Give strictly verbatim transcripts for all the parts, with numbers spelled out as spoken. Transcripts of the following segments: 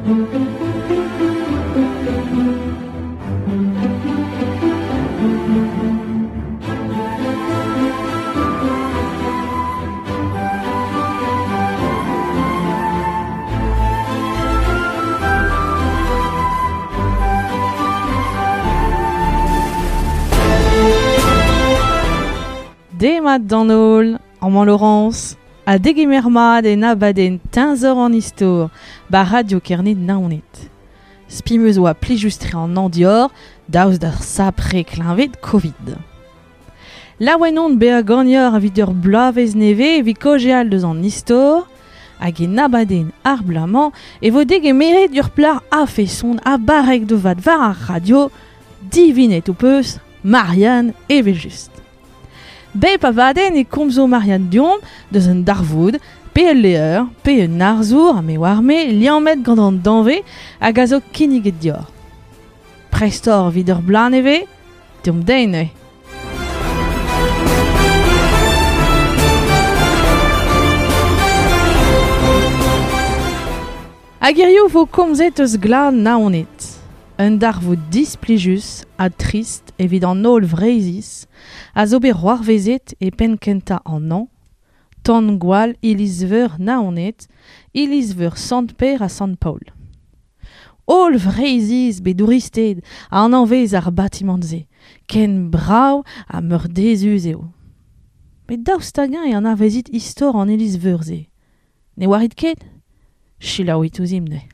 Demat d'an holl, amañ Laurence, ha degemer mat en abadenn teñzor an istor, ba radio Kerne Naoned. Spi 'm eus oa plijus-tre an andior, daoust d'ar sapre kleñved Covid. Laouen on bezañ ganeoc'h evit ur bloavezh nevez evit kaozeal deus an istor, hag en abadenn ar bloaz-mañ e vo degemeret ur plac'h a-feson ha barrek da vat war ar radio, divinet ho peus, Marianne evel-just. Bep abadenn e komzo Marianne deomp deus un darvoud, pe ul levr, pe un arzour, ha me oar-me, liammet gant an danvez hag a zo kinniget deoc'h. Prest oc'h evit ur bloaz nevez, deomp dezhi neuze. Hag hiziv vo komzet eus glad Naoned. Un darvoud displijus ha trist evit an holl Vreizhiz a zo bet c'hoarvezet e penn kentañ an hañv, tan gwall iliz-veur Naoned, iliz-veur Sant-Pêr ha Sant-Paol. Holl Vreizhiz bet douristed a anañvez ar batimant-se, ken brav ha meurdezus eo. Met daoust hag-eñ e anavezit istor an iliz-veur-se? Ne oarit ket? Selaouit ouzhimp neuze.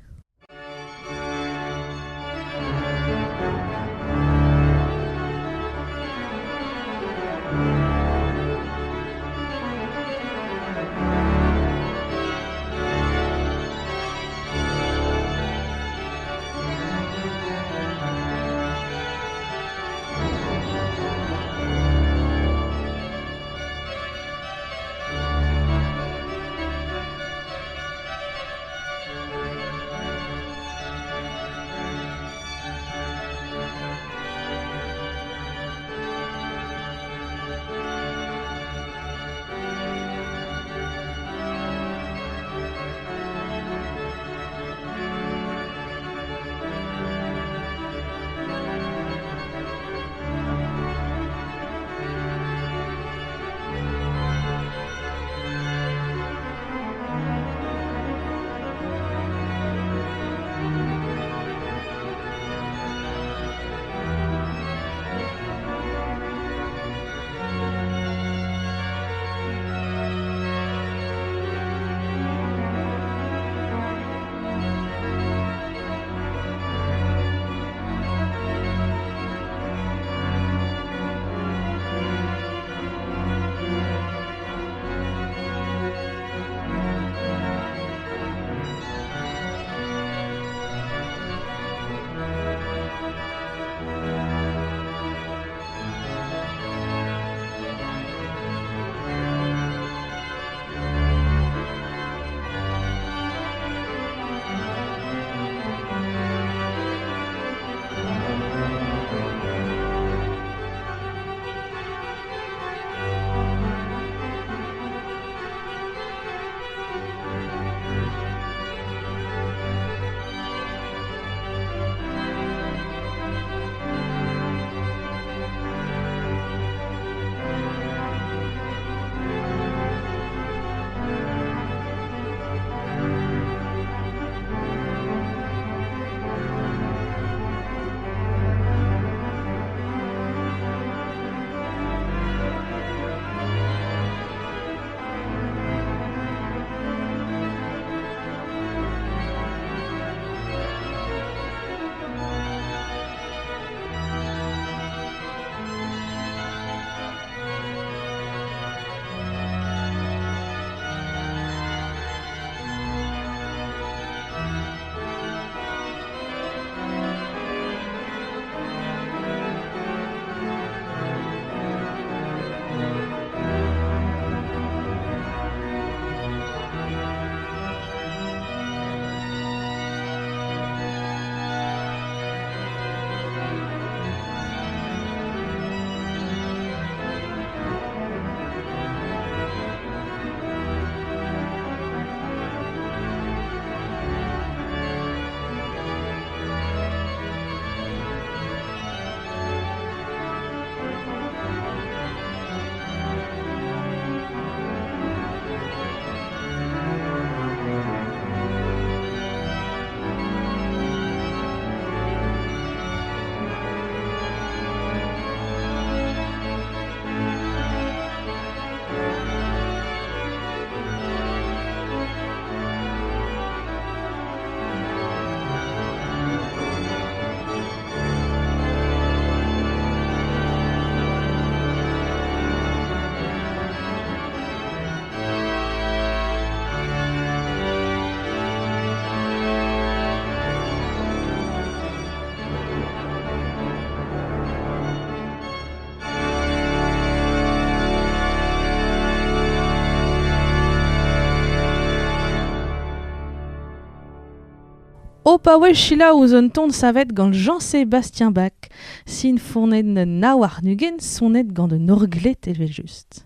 O paouez selaou un ton savet gant Jean-Sébastien Bach, sin fournet nav ar nugen sonet gant un orglet evel just.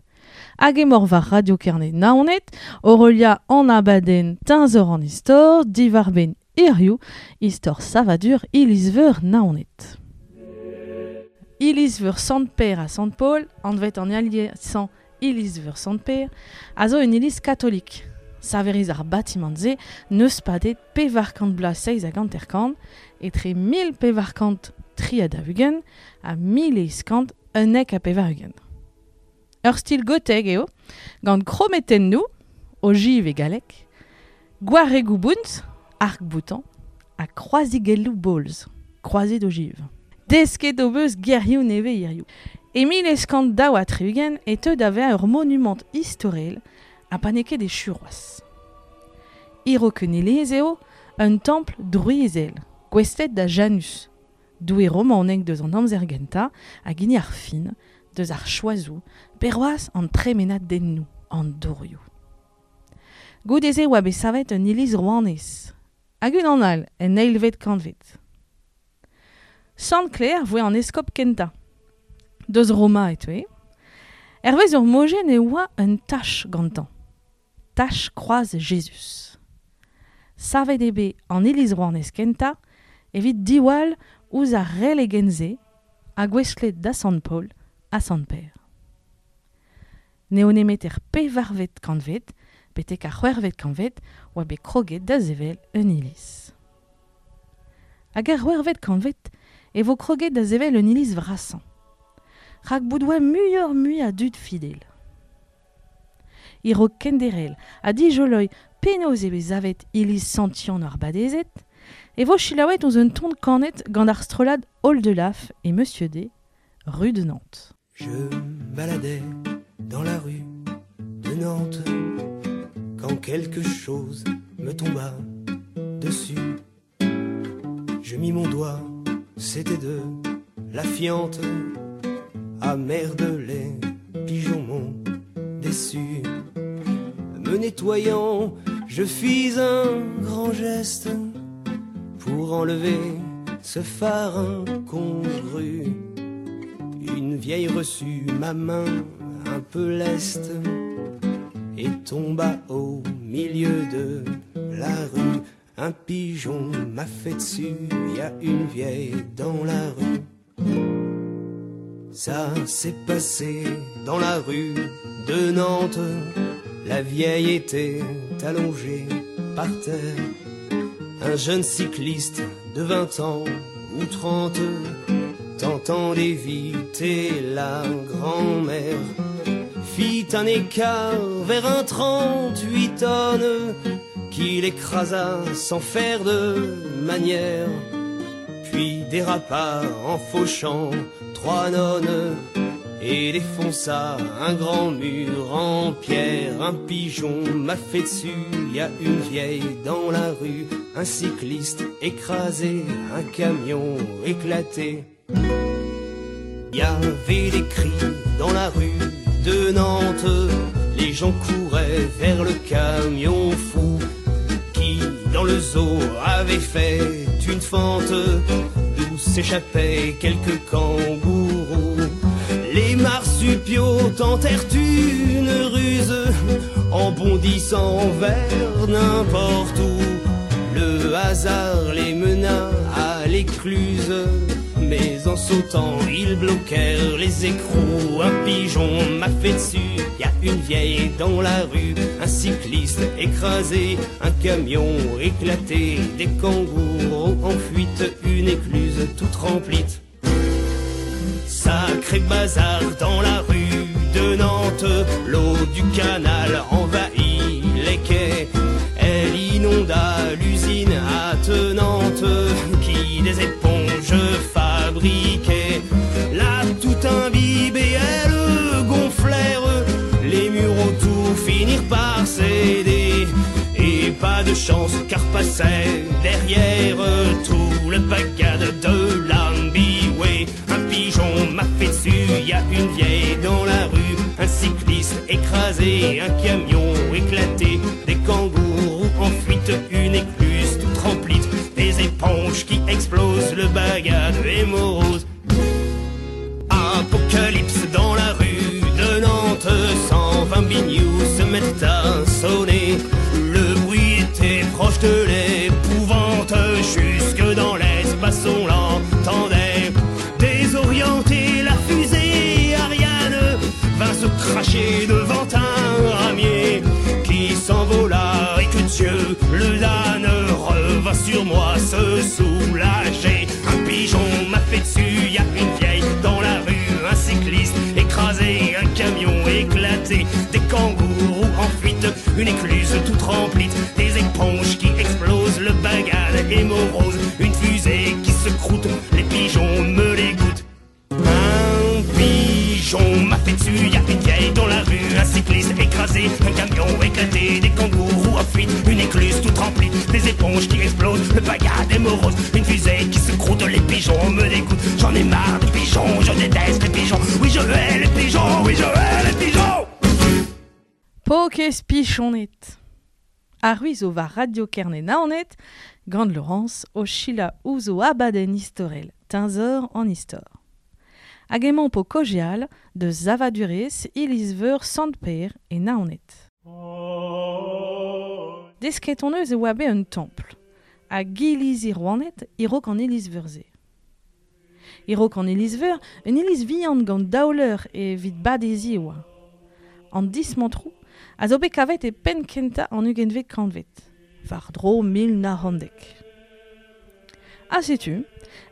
Hag emor war Radio Kerne Naoned, Aurelia an abadenn Teñzor an istor, diwar ben hiziv, istor savadur Iliz-veur Naoned. Iliz-veur Sant-Pêr ha Sant-Paol, anvet an aliesañ Iliz-veur Sant-Pêr, a zo un iliz katolik. Saveriz ar batimant-se n'eus padet pevar kant bloaz seizh hag hanter-kant, etre mil pevar kant tri ha daou-ugent ha mil eizh kant unnek ha pevar-ugent. Ur stil gotek eo, gant krometennoù, ogive e galleg, gwaregoù bount, arc-boutant, ha kroazigelloù bolz, kroazet ogive. Desket o beus gerioù nevez hiziv. E mil eizh kant daou ha tri-ugent e teu da vezañ ur monumant istorel ha pa n'eo ket e Churoaz. Hiro iliz eo un templ drouizel, gouestlet da Janus, doue romanek deus an amzer gentañ hag hini ar fin, deus ar choazoù, perroaz an tremenadennoù, an dourioù. Goude-se oa bet savet un iliz rouanez, hag unan all en eilvet kantved. Sant Clair voe an eskob kentañ. Deus Roma e teue. Hervez ur mojenn e oa un tach gantañ. Tach kroaz Jezuz. Savet eo bet an iliz rouanez kentañ evit diwall ouzh ar relegenn-se ha gouestlet da Sant Paol ha Sant Pêr. N'eo nemet er pevarvet kantved, betek ar c'hwec'hvet kantved, oa bet kroget da sevel un iliz. Hag er c'hwec'hvet kantved e vo kroget da sevel un iliz vrasañ. Rak bout oa muioc'h-mui a dud fidel. Hiro kenderel ha dijoloy penaos eo bet savet iliz Sant-Yann ar Badezet, e vo selaouet ouzh un ton kanet gant ar strollad Oldelaf et Monsieur D, rue de Nantes. Je me baladais dans la rue de Nantes quand quelque chose me tomba dessus. Je mis mon doigt, c'était de la fiente. Ah merde, les pigeons m'ont déçu. Me nettoyant, je fis un grand geste pour enlever ce phare incongru. Une vieille reçut ma main un peu leste et tomba au milieu de la rue. Un pigeon m'a fait dessus, y a une vieille dans la rue. Ça s'est passé dans la rue de Nantes. La vieille était allongée par terre. Un jeune cycliste de vingt ans ou trente, tentant d'éviter la grand-mère, fit un écart vers un trente-huit tonnes qu'il écrasa sans faire de manière, puis dérapa en fauchant trois nonnes et défonça un grand mur en pierre. Un pigeon m'a fait dessus, y a une vieille dans la rue, un cycliste écrasé, un camion éclaté. Y avait des cris dans la rue de Nantes, les gens couraient vers le camion fou qui, dans le zoo, avait fait une fente d'où s'échappaient quelques kangourous. Les marsupiaux tentèrent une ruse en bondissant vers n'importe où. Le hasard les mena à l'écluse, mais en sautant ils bloquèrent les écrous. Un pigeon m'a fait dessus, y a une vieille dans la rue, un cycliste écrasé, un camion éclaté, des kangourous en fuite, une écluse toute remplie. Sacré bazar dans la rue de Nantes, l'eau du canal envahit les quais. Elle inonda l'usine attenante qui des éponges fabriquait. Là tout imbibée, elle gonflèrent, les murs autour finirent par céder. Et pas de chance car passait derrière tout le bagad de l'ambiway. Un pigeon m'a fait dessus, y a une vieille dans la rue, un cycliste écrasé, un camion éclaté, des kangourous en fuite, une écluse toute remplie, des éponges qui explosent, le bagad est morose. Apocalypse dans la rue de Nantes, cent vingt binious se mettent à sonner. Le bruit était proche de l'épouvante, jusque dans l'espace on l'entendait. Désorienté, la fusée Ariane vint se cracher devant un ramier qui s'envola et que Dieu le damne revint sur moi se soulager. Un pigeon m'a fait dessus, y a une vieille dans la rue, un cycliste écrasé, un camion éclaté, des kangourous en fuite, une écluse toute remplie, des éponges qui explosent, le bagad est morose, une fusée qui se croûte, les pigeons me les goûtent. Un pigeon m'a fait dessus, y a une vieille dans la rue, un cycliste écrasé, un camion éclaté, des kangourous en fuite, une écluse toute remplie, des éponges qui explosent, le bagad est morose, une fusée qui se croûte, les pigeons me dégoûtent. J'en ai marre des pigeons, je déteste les pigeons, oui je hais les pigeons, oui je hais les pigeons. Pokez pichonet. Ar zo war Radio Kerne Naoned, gant Laurence o Sheila ouzo abadenn istorel, teñzor an istor. Hag emañ po kojeal de Zavadurez iliz-veur Sant-Per e Naoned. Desket on eus e oa bet un templ, hag iliz Rouaned e-raok an iliz-veur-se. E-raok an iliz-veur, un iliz vihan gant daouleur evit badezi oa. An dismantrou a zo bet kavet e penn kentañ an ugentvet kantved, war dro mil nav c'hant dek. Ha setu,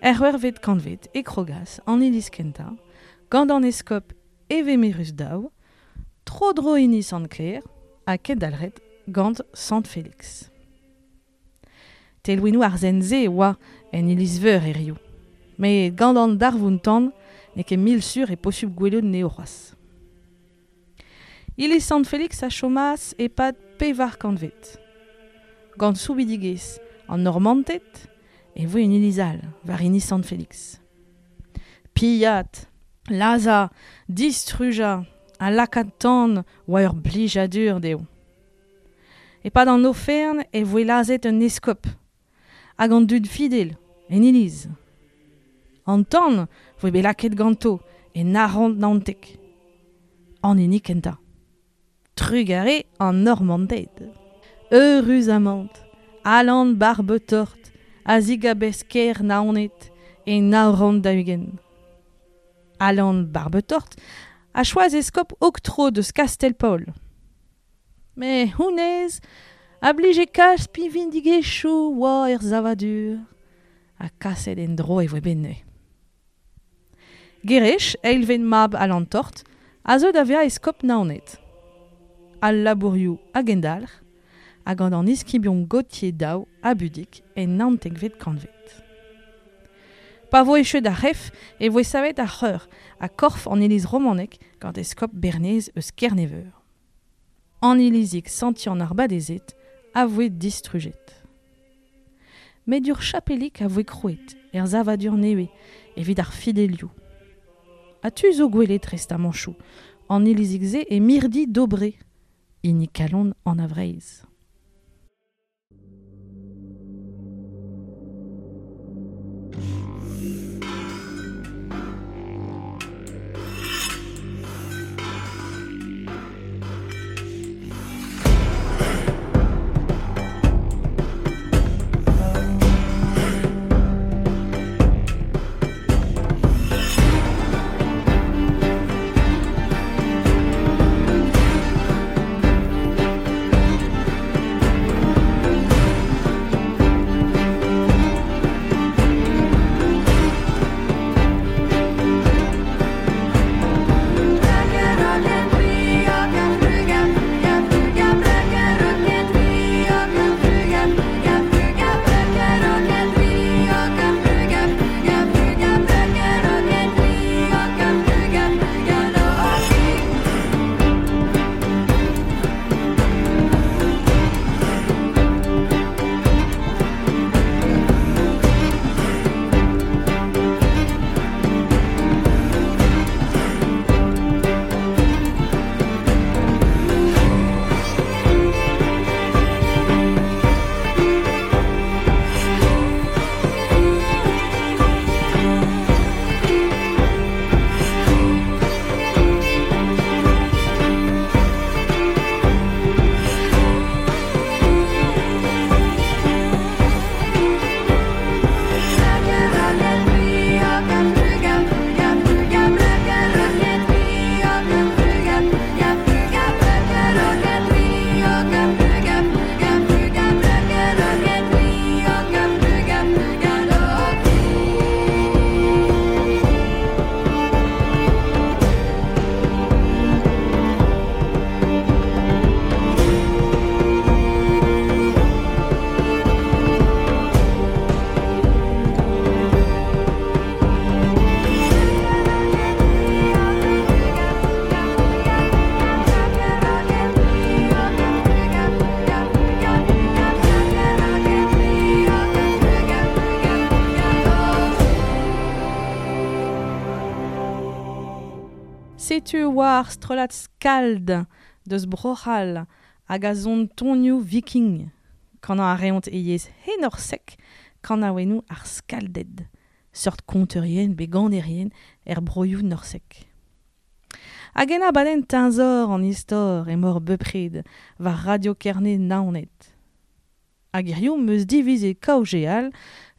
er c'hwec'hvet kantved e krogas an iliz kentañ, gant an eskob Evemerus daou, tro-dro hini Sant-Clair ha kendalc'het gant Sant Félix. Telwinoù ar zen-se oa en iliz-veur hiziv, met gant an darvoud-tan n'eo ket mil sur e posupl gwelout anezho c'hoazh. Iliz Sant Félix a chomas e-pad pevar kantved. Gant soubidigezh an Normanted e voe un iliz all war hini Sant Félix. Pillat, lazhañ, distrujañ ha lakaat tan oa ur blijadur dezho. E-pad an ofern e voe lazhet un eskob hag an dud fidel en iliz. An tan voe bet lakaet ganto e nav c'hant naontek. An hini kentañ. Trugarez an Normanded. Eüruzamant, Alan Barbetort a zigabez ker Naoned e nav c'hant daou-ugent. Alan Barbetort a choaz eskob oktro deus Kastel-Paol. Met honnezh a blije kalz pinvidigezhioù oa er savadur, ha kaset en-dro e voe bet neuze. Gerech, eilvet mab Alan Tort, a zeu da vezañ eskob Naoned. Al labourioù hag endalc'h, hag gant an iskibion Gautier daou ha Budig en naontekvet kantved. Pa vo echuet ar c'hef e voe savet ar c'heur ha korf an iliz romanek gant eskob Bernez eus Kerneveur. An ilizig Sant-Yann ar Badezet a voe distrujet. Met ur chapelik a voe krouet er savadur nevez evit ar fidelioù. Ha tu zo gwelet restamanchoù an ilizig-se e mirdi Dobré, hini kalon an a Vreizh. Setu oa ar strollad skald deus Bro-C'hall hag a zon tonioù viking. Kanañ a reont e yezh henorsek kanaouennoù ar skalded, seurt konterien be ganerien er broioù norsek. Hag en abadenn teñzor an istor emaor bepred war Radio Kerne Naoned. Hag hiziv 'm eus divizet kaozeal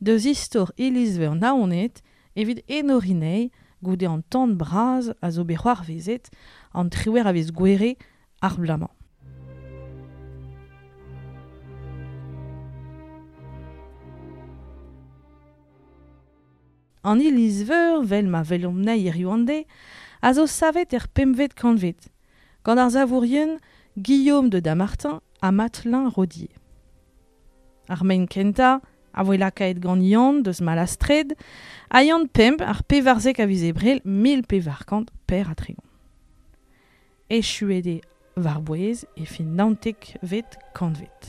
deus istor Iliz-Veur Naoned evit enoriñ anezhi goude an tan bras a zo bet c'hoarvezet an triwec'h a viz Gouere ar bloaz-mañ. An Iliz-Veur, vel ma welomp anezhi hiziv an deiz, a zo savet er pempvet kantved, gant ar savourien Guillaume de Dammartin ha Matelin Rodier. Ar maen kentañ a voe lakaet gant Yann deus Malastred ha Yann Pemp ar pevarzek a viz Ebrel mil pevar kant per ha tregont. Echuet eo war-bouez e fin naontekvet kantved.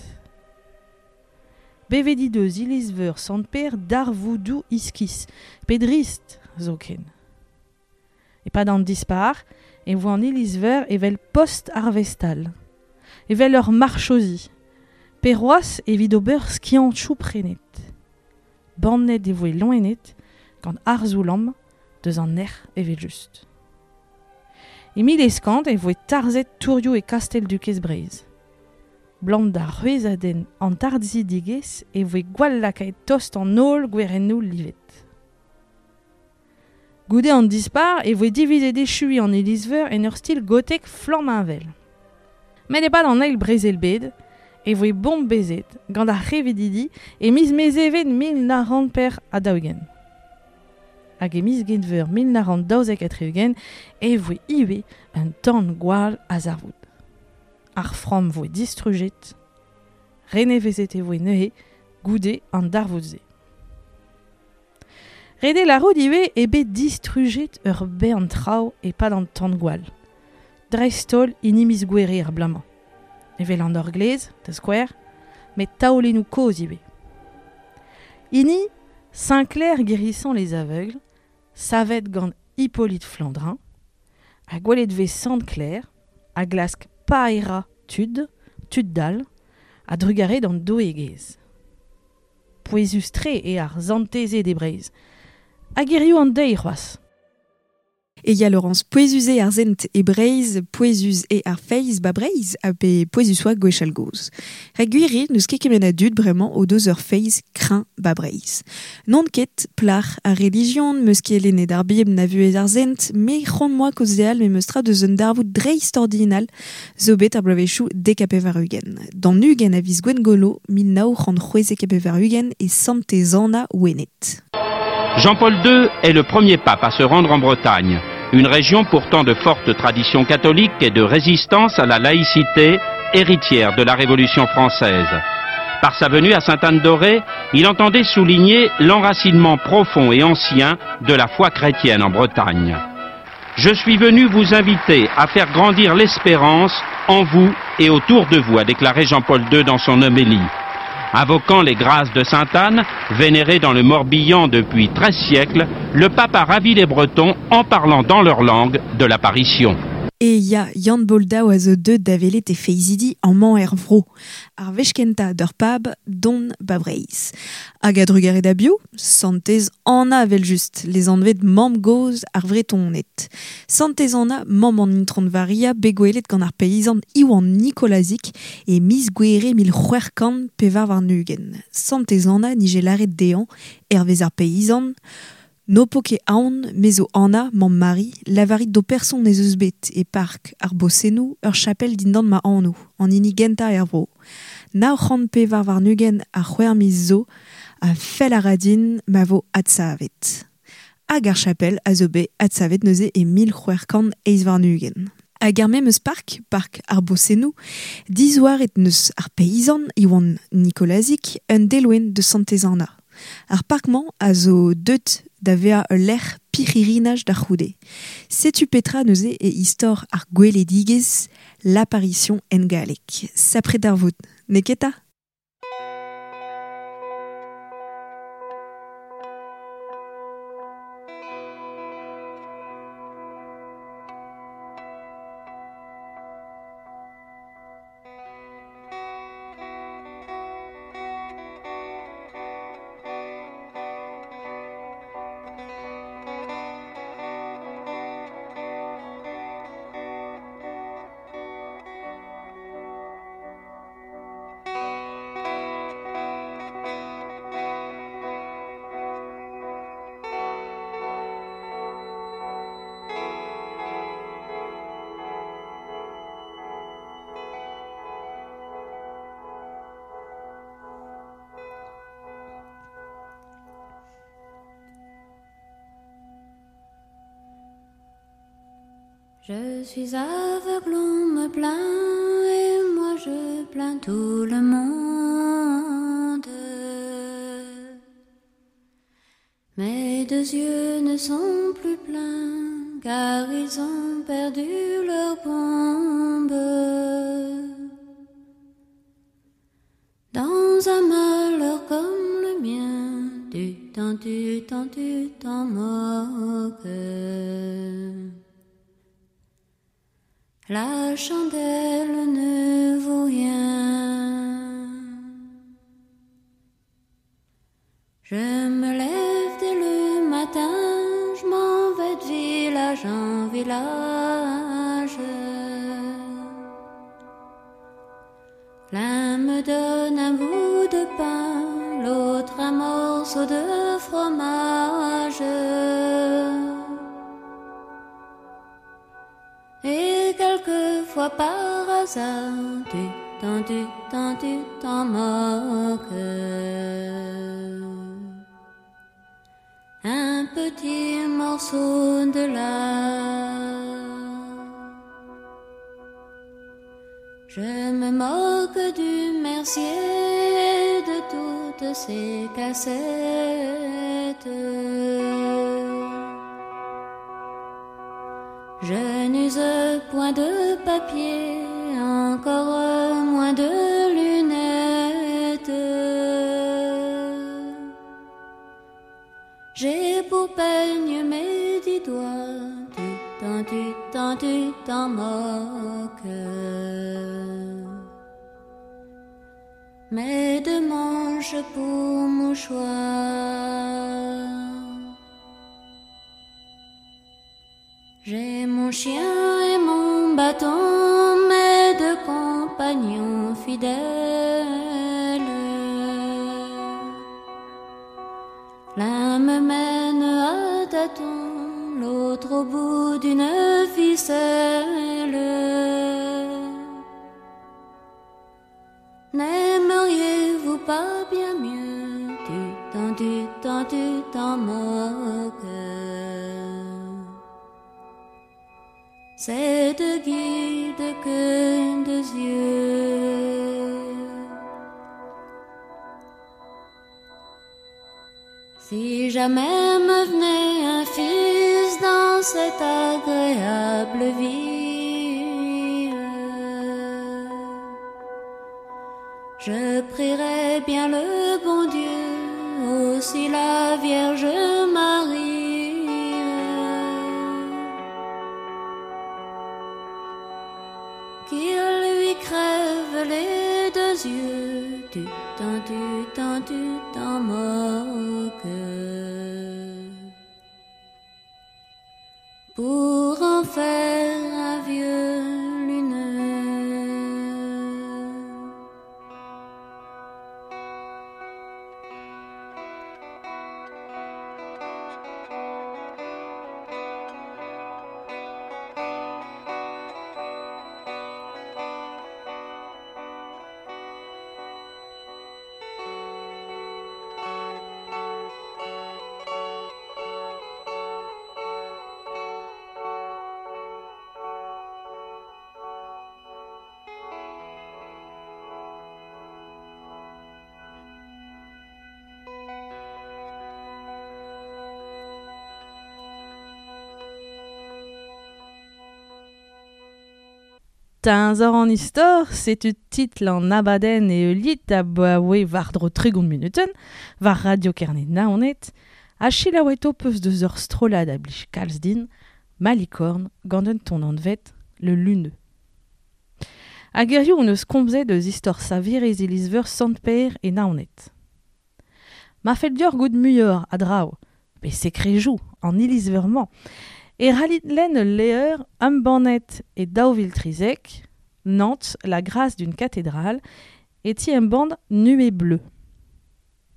Bevet he deus Iliz-Veur Sant-Pêr darvoudoù iskis, pe drist zoken. E-pad an dispar e voe an Iliz-Veur evel post arvestal, evel ur marchosi, pe c'hoazh evit ober skiantoù prenet. Bannet e voe loened gant arzoù-lamm deus an nec'h evel-just. E mil eizh kant e voe tarzhet tourioù e Kastell-Dukez Breizh. Blam d'ar c'hwezhadenn an tarzhidigezh e voe gwall lakaet tost an holl gwerennoù livet. Goude an dispar e voe divizet echuiñ an Iliz-Veur en ur stil gotek flammheñvel. Met e-pad an eil brezel-bed e voe bombezet gant ar c'hevedidi e miz Mezheven mil nav c'hant per ha daou-ugent. Hag e miz Genver mil nav c'hant daouzek ha tri-ugent e voe ivez un tan-gwall a zarvoud. Ar framm voe distrujet, renevezet e voe neuze goude an darvoud-se. Ret eo lârout ivez eo bet distrujet ur bern traoù e-pad an tan-gwall. Dreist-holl hini miz Gouere ar bloaz-mañ. Evel an orglez, da skouer, met taolennoù kozh ivez. Hini Saint-Clair guérissant les aveugles, savet gant Hippolyte Flandrin, ha gwelet vez Sant-Clair, a glask paerañ tud, tud dall, a drugare d'an doueegezh. Pouezus-tre eo ar santezed e Breizh. Hag hiziv an deiz c'hoazh. E ya Laurence, pouezus eo ar sent e Breizh, pouezus eo ar feiz ba Breizh, ha pe pouezus oa gwechall gozh. Rak gwir eo n'eus ket kement a dud bremañ o deus ur feiz kreñv ba Breizh. N'on ket plac'h ar relijion, meus ket lennet ar Bibl na vuhez ar sent, me c'hoant moa kaozeal me meus tra deus un darvoud dreist-ordinal zo bet ar bloavezhioù dek ha pevar-ugent. D'an ugent a viz Gwengolo, mil nav c'hant c'hwezek ha pevar-ugent e Santez-Anna Wened. Jean-Paul deux est le premier pape à se rendre en Bretagne, une région pourtant de forte tradition catholique et de résistance à la laïcité, héritière de la Révolution française. Par sa venue à Sainte-Anne-d'Auray, il entendait souligner l'enracinement profond et ancien de la foi chrétienne en Bretagne. Je suis venu vous inviter à faire grandir l'espérance en vous et autour de vous, a déclaré Jean-Paul deux dans son homélie. Invoquant les grâces de Sainte-Anne, vénérée dans le Morbihan depuis treize siècles, le pape a ravi les Bretons en parlant dans leur langue de l'apparition. E ya Yann Boldao a zo deut da welet e feizidi amañ er vro. Ar wech kentañ d'ur pab don ba Breizh. Hag a drugare da biv, Santez Anna evel-just, les anvet mamm gozh ar Vretoned. Santez Anna, mamm an Intron Varia, bet gwelet gant ar peizant Iwan Nikolazik e miz Gouere mil c'hwec'h kant pevar warn-ugent. Santez Anna nije lâret dezhañ, hervez ar peizant, No po ket aon, me zo Anna, mamm Mari, lavarit d'ho person ez eus bet e park ar Bosennoù ur chapel dindan ma anv, an hini gentañ er vro. Nav c'hant pevar warn-ugent ha c'hwec'h miz zo, a fell a ra din ma vo adsavet. Hag ar chapel a zo bet adsavet neuze e mil c'hwec'h kant eizh warn-ugent. Hag ar memes park, park ar Bosennoù, dizouaret neus ar peizant Iwan Nikolazik un deloen de Santez-Anna. Ar park-mañ a zo deut da vezañ ul lec'h pirc'hirinaj da c'houde. Setu petra neuze e istor ar gweledigezh, l'apparition en galleg. Sapre darvoud, n'eo ket 'ta ? Je suis aveugle, on me plaint, et moi je plains tout le monde. Mes deux yeux ne sont plus pleins, car ils ont perdu leur bombe. Dans un malheur comme le mien, tu t'en, tu t'en, tu t'en moques. La chandelle ne vaut rien. Je me lève dès le matin, je m'en vais de village en village. L'un me donne un bout de pain, l'autre un morceau de fromage. Et quelquefois par hasard, tu t'en, tu t'en, tu t'en moques. Un petit morceau de lard. Je me moque du mercier, de toutes ses cassettes. Je n'use point de papier, encore moins de lunettes. J'ai pour peigne mes dix doigts, tu t'en, tu t'en, tu t'en moques. Mes deux manches pour mouchoir. J'ai mon chien et mon bâton, mes deux compagnons fidèles. L'un me mène à tâtons, l'autre au bout d'une ficelle. N'aimeriez-vous pas bien mieux? Tu t'en, tu t'en, tu t'en moques. C'est deux guides que deux yeux. Si jamais me venait un fils dans cette agréable ville, je prierais bien le bon Dieu, aussi la Vierge Marie, qu'il lui crève les deux yeux, tu t'en, tu t'en, tu t'en moques. Pour en faire un vieux luneux. Teñzor an istor, setu titl an abadenn e lit a baoe war-dro tregont minuten, war Radio Kerne Naoned, a chilaoueto peus deus ur strollad a blij kalz din, Malicorne, gant un ton anvet, le Luneux. Hag hiziv on eus komzet eus istor saverez iliz-veur Sant-Pêr e Naoned. Ma fell deoc'h goût muioc'h a draoù, pe sekrejou an iliz-veur-mañ, e ralit lenn ul levr embannet e daou vil trizek, Nantes, la grâce d'une cathédrale, e ti embann Nuée bleue.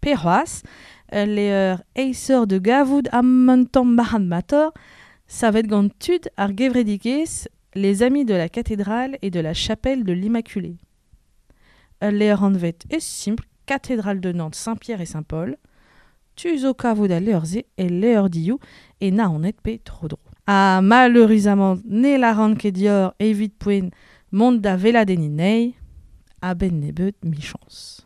Pe c'hoazh, ul levr aesoc'h de gavout am un tamm marc'had-matoc'h, savet gant tud ar gevredigezh les amis de la cathédrale et de la chapelle de l'Immaculée. Ul levr anvet ez simpl Cathédrale de Nantes Saint-Pierre et Saint-Paul, tu zo kavout al levr-se e levrdioù e Naoned pe tro-dro. Ha malheureusement ne la ket dior evit poent mont da veladenni nei, a ben nebeut michans.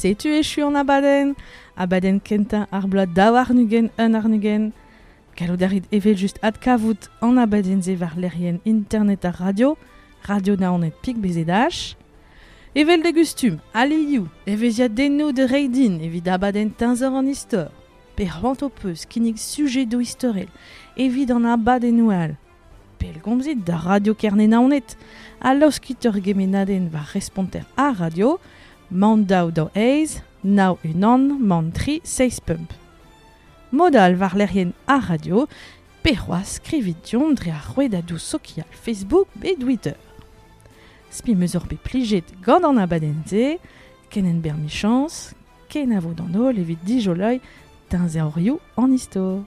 Setu echu an abadenn, abadenn kentañ ar bloaz daou arnugen un arnugen. Gallout a rit evel just adkavout an abadenn se war lec'hienn internet ar radio, radio naoned pik bezedach. Evel de gustum, alioù, evezhiadennoù de reidin evit abadenn teñzor an istor. Pe c'hoant ho peus kinnig sujedoù istorel evit an abadennoù all. Pellgomzit da Radio Kerne Naoned, ha laoskit ur gemennadenn war responter ar radio, man daou daou eiz, nav unan, man tri, seiz pemp. Modal war lec'hienn ar radio, pe c'hoazh skrivit deomp dre ar rouedadoù sokial Facebook pe Twitter. Spi meus ur bet plijet gant an abadenn-se, ken en ber michans, ken a vo d'an holl evit dijoloiñ teñzorioù an istor.